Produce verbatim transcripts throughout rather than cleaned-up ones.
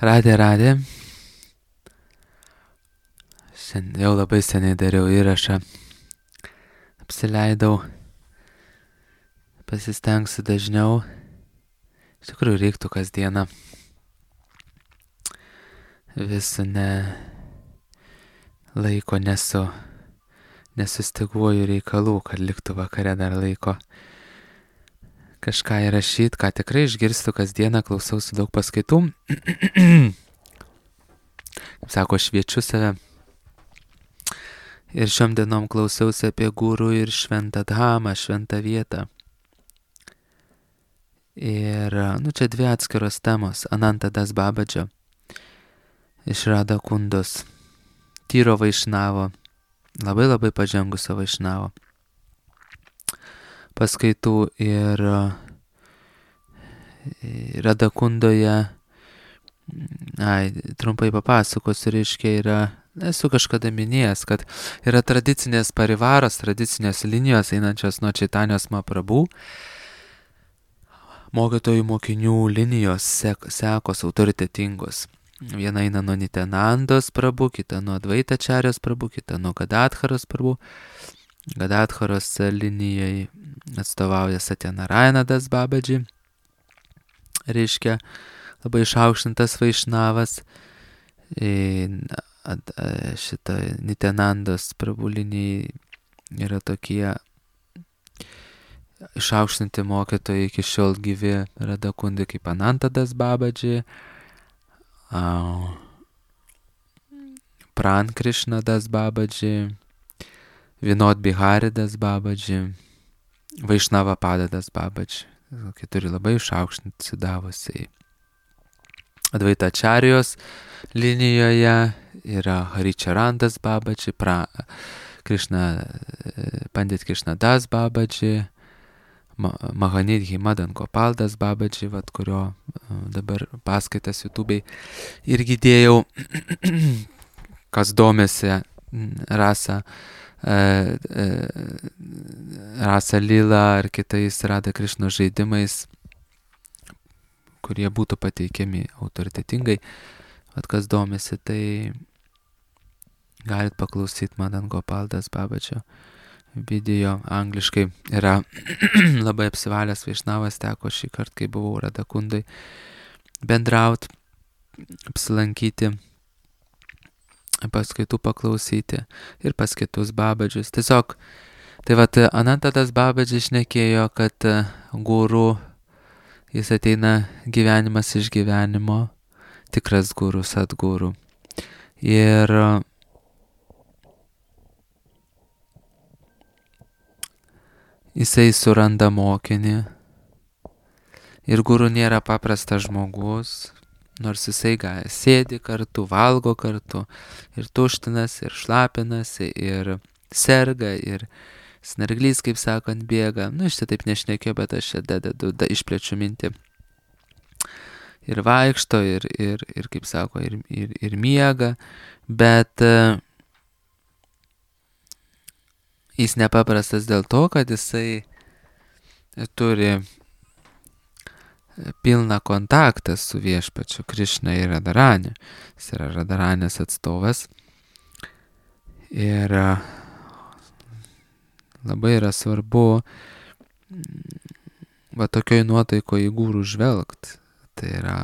Radė, radė. Šiandien jau labai seniai dariau įrašą. Apsileidau. Pasistengsiu dažniau. Iš tikrųjų reiktų kasdieną. Vis ne laiko nesu. Nesustyguoju reikalų, kad liktų vakare dar laiko. Kažką įrašyti, ką tikrai išgirstu kasdieną, klausausi daug paskaitų. Kaip sako, šviečiu save. Ir šiom dienom klausiausi apie gurų ir šventą dhamą, šventą vietą. Ir, nu, čia dvi atskiros temos. Ananta Das Babadžio iš Radha Kundos. Tyro vaišnavo. Labai labai pažengusio vaišnavo. Paskaitų ir Radha Kundoje, ai, trumpai papasakosiu, reiškia, yra, esu kažkada minėjęs, kad yra tradicinės parivaros, tradicinės linijos einančios nuo Čaitanijos Mahaprabhu, mokytojų mokinių linijos sek, sekos autoritetingos. Viena eina nuo Nityanandos Prabhu, kita nuo Advaitačarijos Prabhu, kita nuo Gadadharos Prabhu. Gadadharos linijai atstovauja Satyanarayana Das Babadži, reiškia labai išaukštintas vaišnavas. Šita Nityanandos Prabhu linijai yra tokie išaukštinti mokytojai iki šiol gyvi Radha Kundai kaip Ananta Das Babadži, Pran Krishna Das Babadži, Vinod Bihari Das Babadži, Vaišnava Pada Das Babadži. Keturi labai išaukštinti sidavusiai. Advaitačarijos linijoje yra Haricharan Das Babadži, pra, Krishna, Pandit Krishna Das Babadži, Mahanidhi Madan Gopal Das Babadži, vat, kurio dabar paskaitas YouTube'ai irgi dėjau, kas domėsi rasa, rasa lila ar kitais Radha Krishna žaidimais, kurie būtų pateikiami autoritetingai. Vat, kas domėsi, tai galit paklausyti Madan Gopal Das Babadžio video angliškai. Yra labai apsivalęs vaišnavas, teko šį kartą, kai buvau Radha Kundai, bendraut, apsilankyti, paskaitų paklausyti ir pas kitus babadžius. Tiesiog, tai vat, Ananta Das Babadži šnekėjo, kad guru, jis ateina gyvenimas iš gyvenimo, tikras guru, sadguru. Ir jisai suranda mokinį. Ir guru nėra paprastas žmogus, nors jisai gali, sėdi kartu, valgo kartu, ir tuštinasi, ir šlapinasi, ir serga, ir snarglys, kaip sakant, bėga. Nu, aš čia taip nešnekėjau, bet aš čia dedu, da, išplečiu mintį. Ir vaikšto, ir, ir, ir kaip sako, ir, ir, ir miega, bet uh, jis nepaprastas dėl to, kad jisai turi pilną kontaktą su viešpačiu Krishna ir Radharani. Jis yra Radharanės atstovas. Ir labai yra svarbu va tokioj nuotaikoje į gurų žvelgt. Tai yra,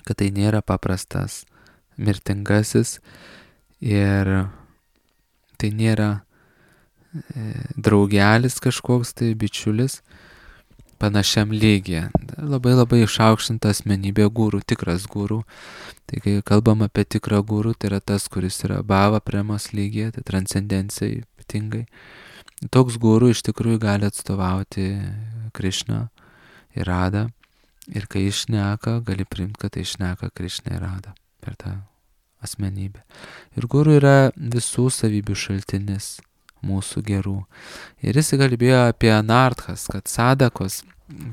kad tai nėra paprastas mirtingasis ir tai nėra draugelis kažkoks, tai bičiulis panašiam lygyje. Labai labai išaukštinta asmenybė gurų, tikras gurų. Tai kai kalbam apie tikrą gurų, tai yra tas, kuris yra bhava premos lygyje, tai transcendencija ypatingai. Toks gurų iš tikrųjų gali atstovauti Krishna ir Radha. Ir kai išneka, gali priimti, kad tai išneka Krishna ir Radha per tą asmenybę. Ir gurų yra visų savybių šaltinis, mūsų gerų. Ir jis kalbėjo apie anarthas, kad sadakos,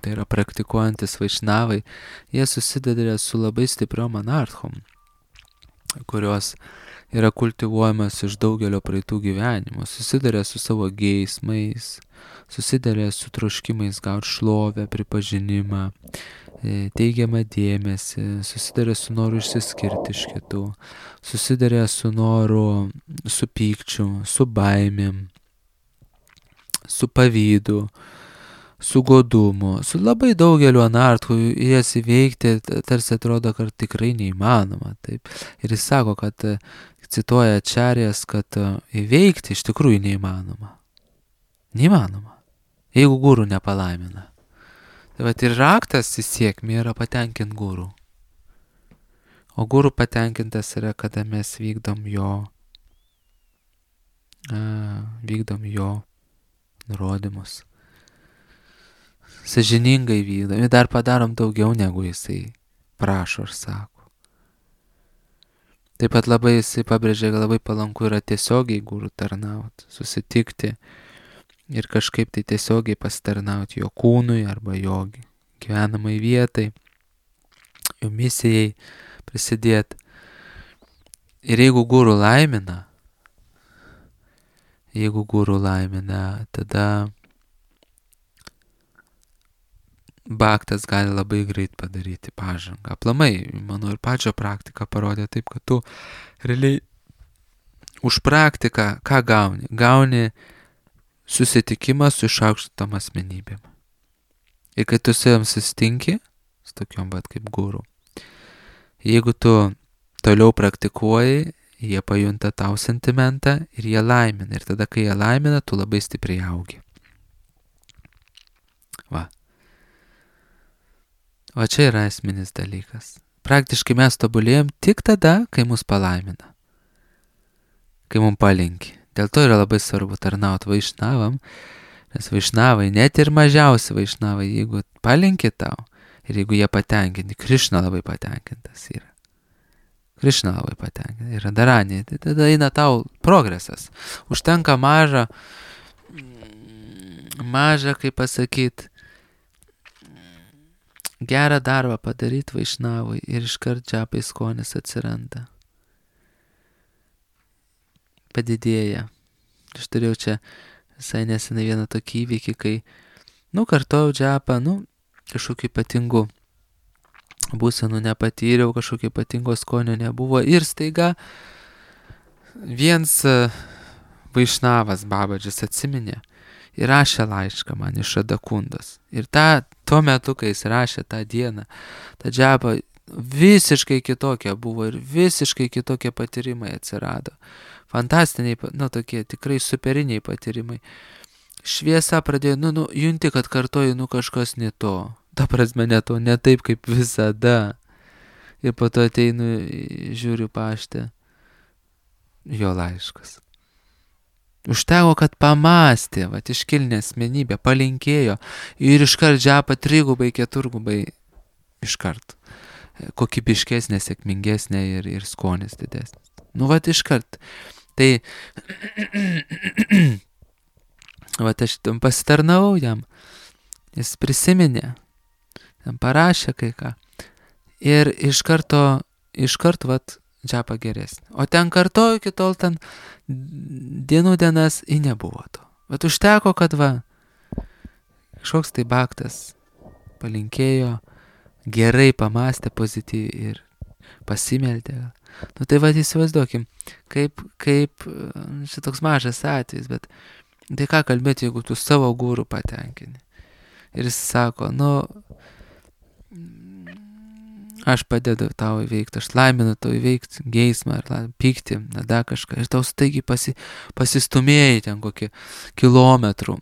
tai yra praktikuojantis vaišnavai, jie susiduria su labai stipriom anarthom, kurios yra kultivuojamas iš daugelio praeitų gyvenimų, susiduria su savo geismais, susiduria su troškimais gauti šlovę, pripažinimą, teigiamą dėmesį, susiduria su noru išsiskirti iš kitų, susiduria su noru, su pykčiu, su baimėm, su pavydu, su godumu, su labai daugeliu anartų, jas įveikti tarsi atrodo, kad tikrai neįmanoma. Taip. Ir jis sako, kad cituoja Ačarijas, kad įveikti iš tikrųjų neįmanoma. Neįmanoma. Jeigu guru nepalaimina. Tai vat ir raktas į sėkmę yra patenkint guru. O guru patenkintas yra, kada mes vykdom jo, a, vykdom jo nurodymus. Sąžiningai vykdom. Ir dar padarom daugiau, negu jisai prašo ir sako. Taip pat labai jisai pabrėžia, kad labai palanku yra tiesiogiai guru tarnauti, susitikti ir kažkaip tai tiesiogiai pasitarnauti jo kūnui arba jo gyvenamai vietai, jo misijai prisidėti. Ir jeigu guru laimina, jeigu guru laimina, tada bhaktas gali labai greit padaryti pažangą. Aplamai, mano ir pačio praktika parodė taip, kad tu realiai už praktiką ką gauni? Gauni susitikimą su išaukštintom asmenybėm. Ir kai tu su jom susitinki, su tokiom bat kaip guru, jeigu tu toliau praktikuoji, jie pajunta tau sentimentą ir jie laimina. Ir tada, kai jie laimina, tu labai stipriai augi. Va. O čia yra esminis dalykas. Praktiškai mes tobulėjom tik tada, kai mus palaimina. Kai mums palinki. Dėl to yra labai svarbu tarnauti vaišnavam, nes vaišnavai, net ir mažiausi vaišnavai, jeigu palinki tau ir jeigu jie patenkinti, Krišna labai patenkintas yra. Krišna labai patenkintas yra Dharanį, tai tada eina tau progresas. Užtenka mažą, mažą, kaip pasakyti, gerą darbą padaryti vaišnavui ir iškart džapai skonis atsiranda. Padidėja. Aš turėjau čia visai nesenai vieną tokį įvykį, kai, nu, kartojau džapą, nu, kažkokiu ypatingu būsenų nepatyriau, kažkokio ypatingo skonio nebuvo ir staiga viens vaišnavas Babadžis atsiminė ir rašė laišką man iš Radakundos. Ir ta, tuo metu, kai jis rašė tą dieną, ta džapa visiškai kitokia buvo ir visiškai kitokie patyrimai atsirado. Fantastiniai, nu, tokie tikrai superiniai patyrimai. Šviesa pradėjo, nu, nu, junti, kad kartoji, nu, kažkas ne to. Ta prasme, ne to, ne taip kaip visada. Ir po to ateinu, žiūriu paštę, jo laiškas. Užteko, kad pamastė, vat iškilnė asmenybė, palinkėjo ir iškart džapa trigubai, keturgubai iškart. Kokybiškesnė, sėkmingesnė ir, ir skonis didesnis. Nu, vat iškart. Tai, vat aš tam pasitarnavau jam, jis prisiminė, tam parašė kai ką. Ir iš karto, iš karto, vat, džapa geresnė. O ten kartoju, iki tol ten dienų dienas į nebuvo to. Bet užteko, kad va, kažkoks tai bhaktas palinkėjo, gerai pamastė pozityviai ir pasimeldė. Nu tai va, įsivaizduokim, kaip, kaip, šitoks mažas atvejis, bet tai ką kalbėti, jeigu tu savo guru patenkini. Ir jis sako, nu, aš padedu tau įveikti, aš laiminu tau įveikti geismą ar pyktį, nada kažką. Ir tau staigiai pasi, pasistumėjai ten kokį kilometrų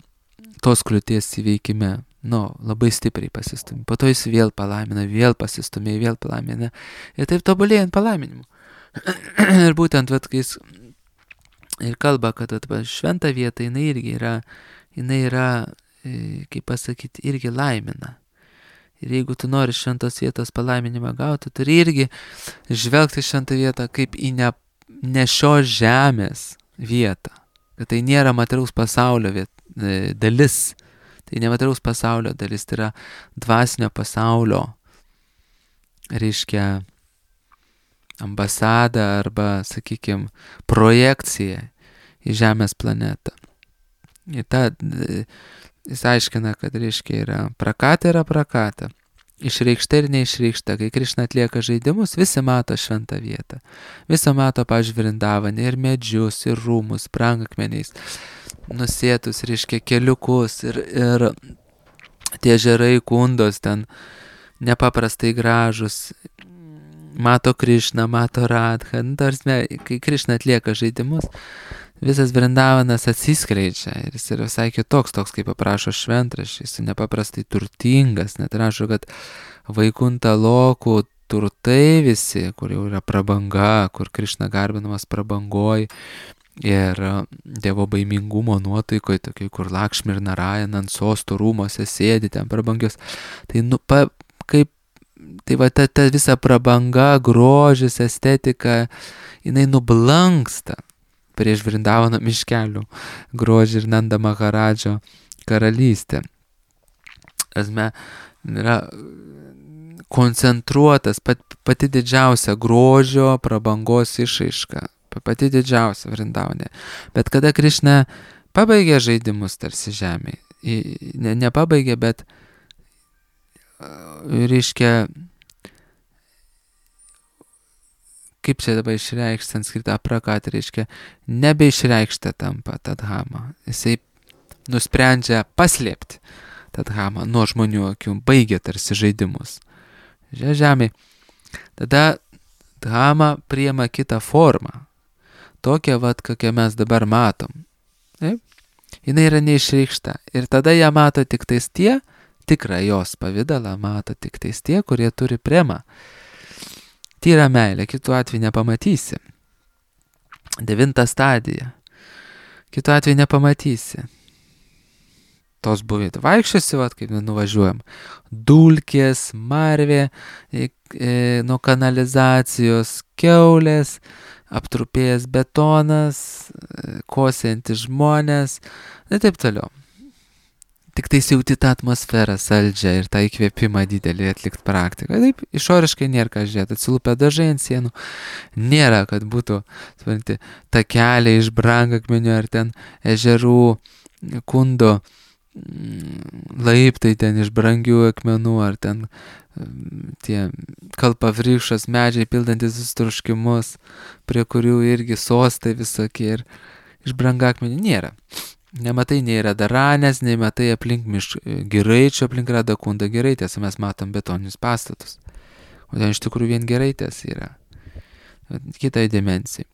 tos kliūties įveikime. Nu, labai stipriai pasistumė. Po to jis vėl palaimina, vėl pasistumė, vėl palaimina. Ir taip tobulėjant palaiminimu. Ir būtent, vat, kai jis ir kalba, kad vat, šventa vieta, jinai irgi yra, jinai yra, kaip pasakyti, irgi laimina. Ir jeigu tu nori šventos vietos palaiminimą gauti, turi irgi žvelgti šventą vietą kaip į ne, ne šios žemės vietą. Kad tai nėra materiaus pasaulio viet, dalis. Tai nemateriaus pasaulio dalis, tai yra dvasinio pasaulio, reiškia, ambasada arba, sakykime, projekcija į Žemės planetą. Ir ta, jis aiškina, kad reiškia yra prakata yra prakata. Išreikšta ir neišreikšta. Kai Krišna atlieka žaidimus, visi mato šventą vietą. Visi mato, pavyzdžiui, Vrindavanį, ir medžius, ir rūmus, brangakmeniais, nusėtus, reiškia, keliukus, ir, ir tie ežerai, kundos ten nepaprastai gražus. Mato Krišną, mato Radhą. Nu, tarsime, kai Krišna atlieka žaidimus, visas Vrindavanas atsiskleidžia ir jis yra visai kitoks, toks kaip aprašo šventraščiai, jis nepaprastai turtingas, net rašo, kad Vaikunta Lokų turtai visi, kur jau yra prabanga, kur Krišna garbinamas prabangoj ir dievo baimingumo nuotaikoje, tokiai, kur Lakšmi ir Narayana ant sostų rūmose sėdi ten prabangios. Tai, nu, pa, kaip, tai va ta, ta visa prabanga, grožis, estetika, jinai nublanksta prieš Vrindavano miškelių grožį ir Nanda Maharadžo karalystę. Asme, yra koncentruotas pat, pati didžiausia grožio prabangos išraiška, pati didžiausia Vrindavane. Bet kada Krišna pabaigė žaidimus tarsi žemėje, ne, nepabaigė, bet reiškia, kaip čia dabar išreikšti sanskritą aprakatą, reiškia, nebeišreikšta tampa tadhama. Jisai nusprendžia paslėpti tadhamą nuo žmonių akių, baigia tarsi žaidimus. Žemė. Tada dhamma priima kitą formą. Tokią, vat, kokią mes dabar matom. Taip? Jinai yra neišreikšta. Ir tada ją mato tik tais tie, tikrą jos pavidalą mato tik tais tie, kurie turi premą. Tyra meilė, kitu atveju nepamatysi. Devinta stadija. Kitu atveju nepamatysi. Tos buvėt. Vaikščiosi, vat, kaip nuvažiuojam. Dulkės, marvė, e, e, nuo kanalizacijos, kiaulės, aptrupėjęs betonas, e, kosiantis žmonės, ir taip toliau. Tik tai jauti tą atmosferą saldžią ir tą įkvėpimą didelį atlikti praktiką. Taip, išoriškai nėra ką žiūrėti, atsilupę dažai ant sienų, nėra, kad būtų, supranti, takeliai iš brangakmenių ar ten ežerų, kundo, laiptai ten iš brangių akmenų, ar ten tie kalpavrykščios medžiai pildantis visus troškimus, prie kurių irgi sostai visokie ir iš brangakmenių nėra. Nematai nei Radaranės, nei matai aplink mišk giraičių, aplink Radakundą giraitės, mes matom betoninius pastatus. O ten iš tikrųjų vien giraitės yra. Kitai dimensijai.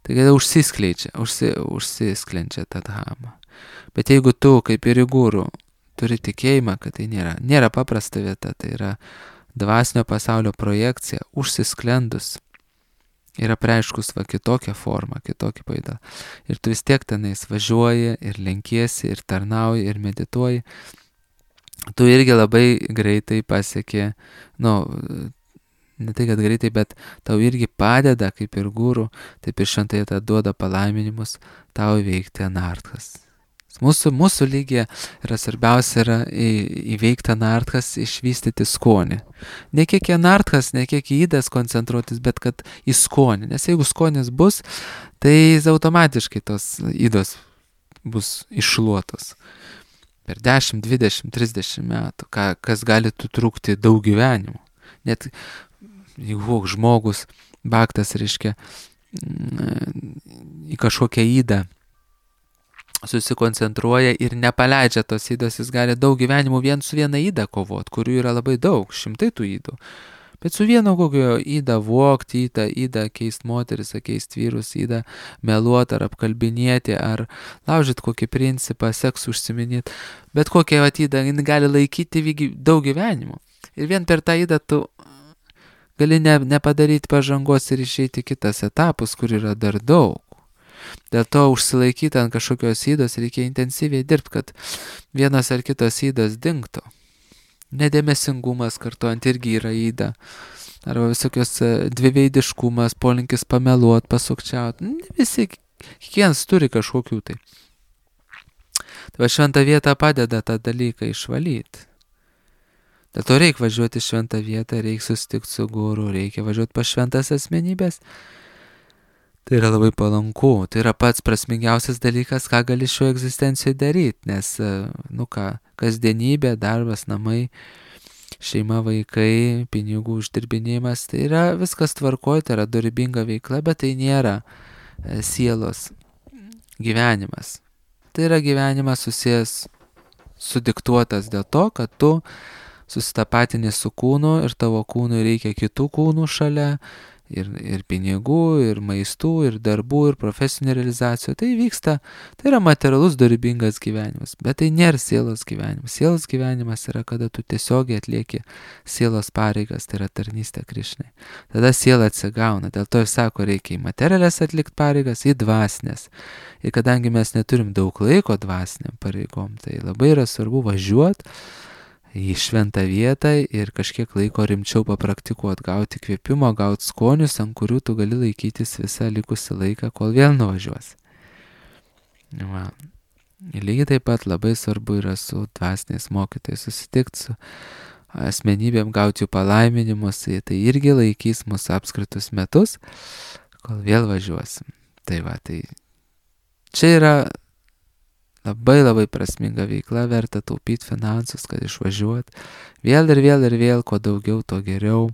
Tai kada užsiskleidžia, užsi, užsisklendžia tą dhamą. Bet jeigu tu, kaip ir į guru, turi tikėjimą, kad tai nėra, nėra paprasta vieta, tai yra dvasinio pasaulio projekcija, užsisklendus, yra preiškus va kitokią formą, kitokį pavidalą. Ir tu vis tiek tenais važiuoji ir lenkiesi, ir tarnauji, ir medituoji. Tu irgi labai greitai pasieki, nu, ne tai, kad greitai, bet tau irgi padeda, kaip ir guru, taip ir šventai tą duoda palaiminimus tau įveikti anarthas. Mūsų, mūsų lygyje yra svarbiausia yra į, įveikti anarthas, išvystyti skonį. Ne kiek į anarthas, ne kiek į įdas koncentruotis, bet kad į skonį. Nes jeigu skonis bus, tai automatiškai tos įdos bus iššluotos. Per dešimt, dvidešimt, trisdešimt metų, ką, kas gali trukti daug gyvenimų. Net jeigu žmogus, baktas, reiškia, į kažkokią įdą susikoncentruoja ir nepaleidžia tos įdos, jis gali daug gyvenimų vien su viena įda kovot, kurių yra labai daug, šimtai tų įdų. Bet su vieno kokio įdą vogti, įdą, įdą keist moteris, keist vyrus, įdą meluot ar apkalbinėti, ar laužyti kokį principą, seksų užsiminėti. Bet kokią įdą gali laikyti daug gyvenimų. Ir vien per tą įdą tu gali ne, nepadaryti pažangos ir išeiti kitas etapus, kur yra dar daug. Dėl to užsilaikyti ant kažkokios įdos reikia intensyviai dirbti, kad vienas ar kitos įdos dingtų. Nedėmesingumas kartuojant irgi yra įda. Arba visokios dviveidiškumas, polinkis pameluot, pasukčiauti. Visi, kiekvienas turi kažkokių tai. Tai va šventa vieta padeda tą dalyką išvalyti. Dėl to reikia važiuoti į šventą vietą, reikia susitikti su guru, reikia važiuoti pas šventas asmenybės. Tai yra labai palanku, tai yra pats prasmingiausias dalykas, ką gali šio egzistencijoje daryti, nes, nu ką, kasdienybė, darbas, namai, šeima, vaikai, pinigų uždirbinėjimas, tai yra viskas tvarkoje, tai yra dorybinga veikla, bet tai nėra sielos gyvenimas. Tai yra gyvenimas susijęs, sudiktuotas dėl to, kad tu susitapatinį su kūnu ir tavo kūnui reikia kitų kūnų šalia, ir, ir pinigų, ir maistų, ir darbų, ir profesinių realizacijų. Tai vyksta, tai yra materialus dorybingas gyvenimas, bet tai nėra sielos gyvenimas. Sielos gyvenimas yra, kada tu tiesiogiai atlieki sielos pareigas, tai yra tarnystė Krišnai. Tada siela atsigauna, dėl to ir sako, reikia į materialės atlikti pareigas, į dvasinės. Ir kadangi mes neturim daug laiko dvasiniam pareigom, tai labai yra svarbu važiuoti į šventą vietą ir kažkiek laiko rimčiau papraktikuoti, gauti kvėpimo, gauti skonius, ant kurių tu gali laikytis visą likusį laiką, kol vėl nuvažiuosi. Va. Ir lygiai taip pat labai svarbu yra su dvasiniais mokytojais susitikti, su asmenybėm, gauti jų palaiminimus, tai irgi laikys mūsų apskritus metus, kol vėl važiuosim. Tai va, tai čia yra labai labai prasminga veikla, verta taupyti finansus, kad išvažiuot. Vėl ir vėl ir vėl, kuo daugiau, to geriau.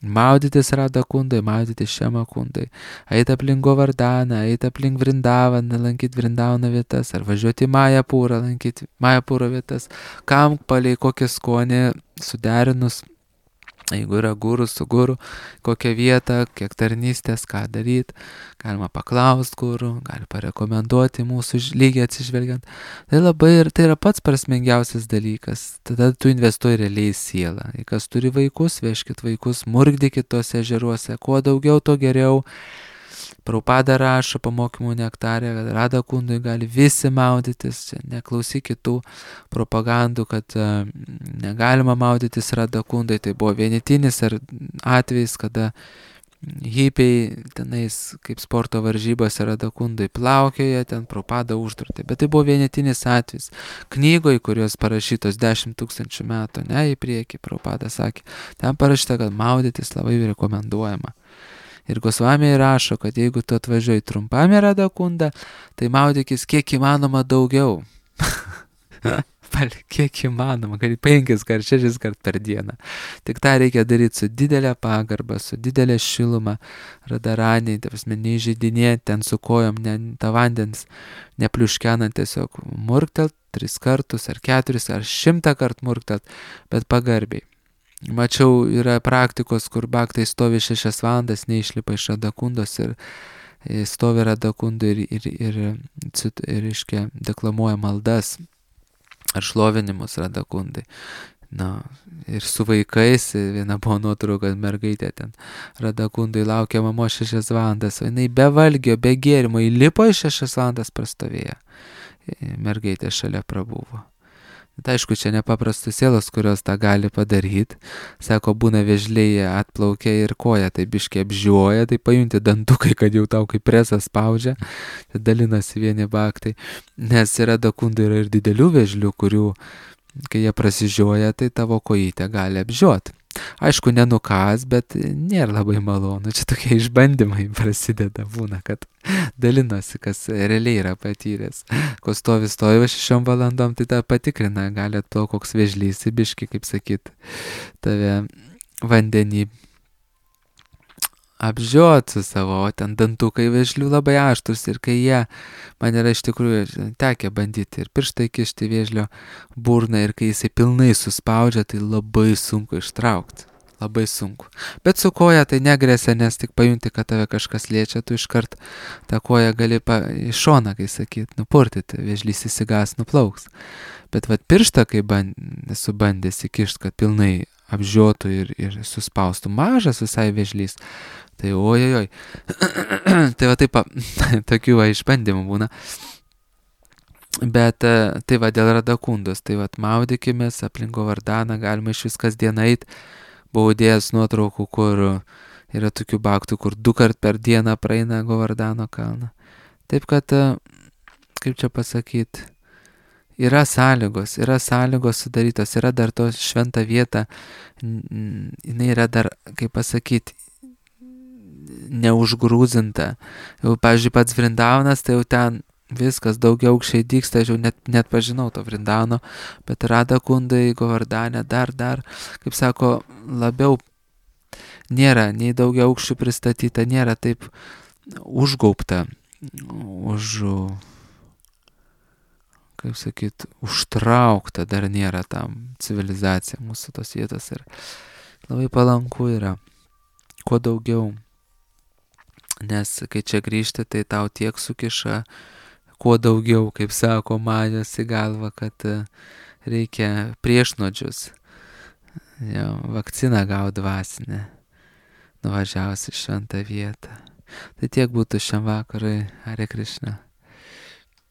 Maudytis Radha Kundai, maudytis Šiama Kundai. Eit aplink Govardaną, eit aplink Vrindavaną, lankyti Vrindavano vietas, ar važiuoti į Majapūrą, lankyti Majapūro vietas. Kam palei kokį skonį suderinus, jeigu yra guru su guru, kokią vietą, kiek tarnystės, ką daryti, galima paklausti guru, gali parekomenduoti mūsų lygį atsižvelgiant. Tai labai ir tai yra pats prasmingiausias dalykas. Tada tu investuoji realiai į sielą. Jei kas turi vaikus, vežkit vaikus, murgdykit tose ežeruose, kuo daugiau, to geriau. Prabhupada rašo pamokymų nektarė, kad Radha Kundui gali visi maudytis, čia neklausyk kitų propagandų, kad uh, negalima maudytis Radha Kundai. Tai buvo vienetinis atvejis, kada hipiai tenais kaip sporto varžybose Radha Kundai plaukioja, ten Prabhupada uždraudė. Bet tai buvo vienetinis atvejis. Knygoje, kurios parašytos dešimt tūkstančių metų, ne į priekį, Prabhupada sakė, ten parašyta, kad maudytis labai rekomenduojama. Ir Gosvamiai rašo, kad jeigu tu atvažiuoji trumpam į Radha Kundą, tai maudykis kiek įmanoma daugiau. Kiek įmanoma, kad penkis kart, šešis kart per dieną. Tik tą reikia daryti su didelė pagarba, su didelė šiluma, radaraniai, ta prasme, neįžeidinėti ten su kojom, ne, tą vandens nepliuškenant, tiesiog murktelt tris kartus, ar keturis, ar šimtą kart murktelt, bet pagarbiai. Mačiau, yra praktikos, kur bhaktai stovi šešias valandas, neišlipa iš Radha Kundos ir stovi Radha Kundai ir, ir, ir, ir, ir iškia, deklamuoja maldas ar šlovinimus Radha Kundai. Na, ir su vaikais, viena buvo nuotrauka, kad mergaitė ten Radha Kundai laukia mamos šešias valandas, o jinai be valgio, be gėrimo, įlipo iš šešias valandas prastovėja. Mergaitė šalia prabuvo. Tai aišku, čia nepaprastos sielos, kurios tą gali padaryti. Sako, būna vėžliai atplaukia ir koja, tai biškiai apžiūoja, tai pajunti dantukai, kad jau tau kaip presas spaudžia. Tai dalinasi vieni bhaktai. Nes Radha Kundai yra ir didelių vėžlių, kurių, kai jie prasižioja, tai tavo kojytę gali apžiūoti. Aišku, nenukas, bet nėra labai malonu. Čia tokie išbandymai prasideda, būna, kad dalinosi, kas realiai yra patyręs. Ko stovi, stovi va šešiom valandom, tai tą patikrina, gali atplauk koks vėžlys, biški, kaip sakyt, tave vandenį apžiot su savo, o ten dantukai vėžlių labai aštrus ir kai jie, man yra iš tikrųjų tekę bandyti ir pirštai kišti vėžlio burną ir kai jisai pilnai suspaudžia, tai labai sunku ištraukti, labai sunku. Bet su koja tai negresia, nes tik pajunti, kad tave kažkas liečia, tu iškart tą koją gali pa, iš šoną, kai sakyt, nupurtyti, vėžlys įsigas, nuplauks. Bet vat pirštą, kai band, esu bandęs įkišti, kad pilnai apžiotų ir, ir suspaustų mažas visai vėžlys, tai ojojoj, tai va taip, tokių va išbandymų būna. Bet tai va dėl Radha Kundos, tai va maudykimės aplink Govardaną, galima iš vis kasdien eit, buvau dėjęs nuotraukų, kur yra tokių bhaktų, kur du kart per dieną praeina Govardano kalną. Taip kad, kaip čia pasakyti, yra sąlygos, yra sąlygos sudarytos, yra dar to šventa vieta, jinai yra dar, kaip pasakyti, neužgrūzinta. Jau, pavyzdžiui, pats Vrindaunas, tai jau ten viskas daugiau aukščiai dyksta, aš jau net, net pažinau to Vrindauno, bet Rada Kundai, Govardhanė, dar, dar, kaip sako, labiau nėra, nei daugiau aukščių pristatyta, nėra taip užgaubta, už, kaip sakyt, užtraukta dar nėra tam civilizacija mūsų tos vietos ir labai palanku yra, kuo daugiau, nes kai čia grįžti, tai tau tiek sukiša, kuo daugiau, kaip sako Majos į galvą, kad reikia priešnodžius, jau, vakciną gauti dvasinę, nuvažiavus į šventą vietą. Tai tiek būtų šiam vakarui, Hare Krishna.